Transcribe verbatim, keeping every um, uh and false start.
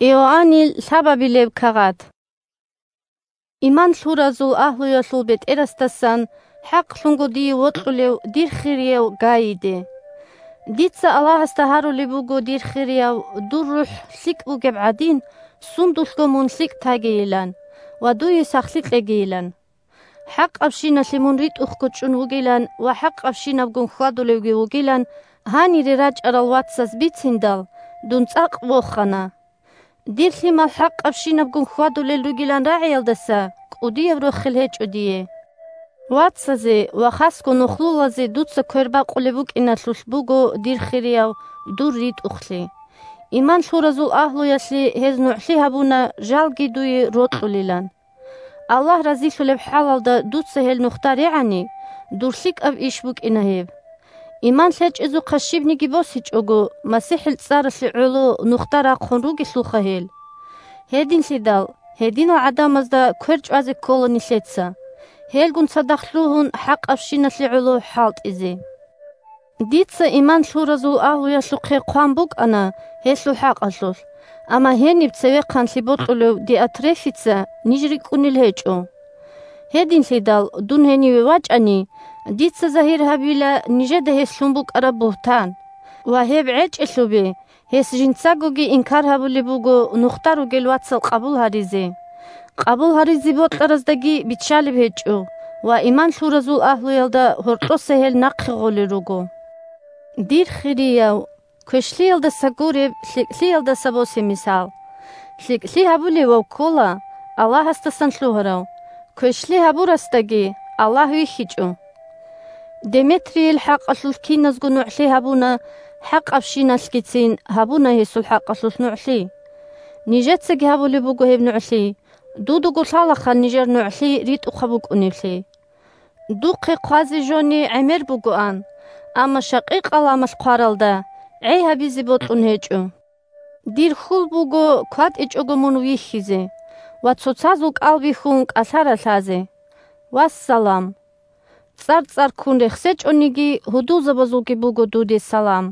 Иоаннил лъабабилеб кагъат. Иман лъуразул агьлуялъул бетӀерасдасан хӀакълъунго дие вокьулев дир хирияв Гайиде. Дица Аллагьасда гьарулеб буго, дир хирияв, дур рухӀ лъикӀ бугеб гӀадин, сундулъго мун лъикӀ тагейилан ва дуе сахлъи кьегейилан. ХӀакъабщиналъе мун ритӀухъго чӀун вугилан ва хӀакъабщинабгун хьвадулевги вугилан гьанире рачӀарал вацаз бициндал, дун цӀакъ вохана. Дир лъимал хӀакъабщинабгун хьвадулел ругилан рагӀиялдаса кӀудияб рохел гьечӀо дие. Вацазе ва хасго нухлулазе дуца квер бакъулеб букӀиналъулъ буго, дир хирияв, дур ритӀухълъи. Иман лъуразул агьлуялъе гьез нугӀлъи гьабуна жалги дуе рокьулилан. Аллагь разилъулеб хӀалалда дуца гьел нухда регӀани, дур лъикӀаб иш букӀина гьеб. Иман лъечӀезухъа щибниги босичӀого, МасихӀил цӀаралъе гӀоло нухда рахъун ругелъулха гьел. Гьединлъидал, гьединал гӀадамазда квер чӀвазе ккола нилъеца, гьелгун цадахъ лъугьун хӀакъабщиналъе гӀоло хӀалтӀизе. Дица иман лъуразул агьлуялъухъе хъван букӀана гьелъул хӀакъалъулъ, амма гьениб цевехъанлъи бокьулев Диотрефица ниж рикӀкӀунел гьечӀо. Гьединлъидал дун гьениве вачӀани, дица загьир гьабила нижеда гьес лъун букӀараб бугьтан ва гьеб гӀечӀелъубе, гьес жинцагоги инкар гьабулеб буго нухда ругел вацал къабул гьаризе. Къабул гьаризе бокьараздаги биччалеб гьечӀо ва иман лъуразул агьлуялда гьоркьоса гьел нахъе гъолел руго. Дир хирияв, квешлъиялдаса гуреб, лъикӀлъиялдаса босе мисал. ЛъикӀлъи гьабулевав ккола Аллагьасдасан лъугьарав, квешлъи гьабурасдаги Аллагь вихьичӀо. Деметрийил хӀакъалъулъ киназго нугӀлъи гьабуна, хӀакъабщиналъгицин гьабуна гьесул хӀакъалъулъ нугӀлъи. Нижецаги гьабулеб буго гьеб нугӀлъи, дудаго лъалаха нижер нугӀлъи ритӀухъаб букӀунеблъи. Духъе хъвазе жони гӀемер бугоан, амма шакъикъ ламалъ хъваралда гӀей гьабизе бокьун гьечӀо. Дир хьул буго кватӀичӀого мун вихьизе ва цоцазул кӀал бихьун кӀалъа ралъазе. Вассалам! ЦӀар-цӀар ккун рехсечӀониги, гьудулзабазулги буго дуде салам.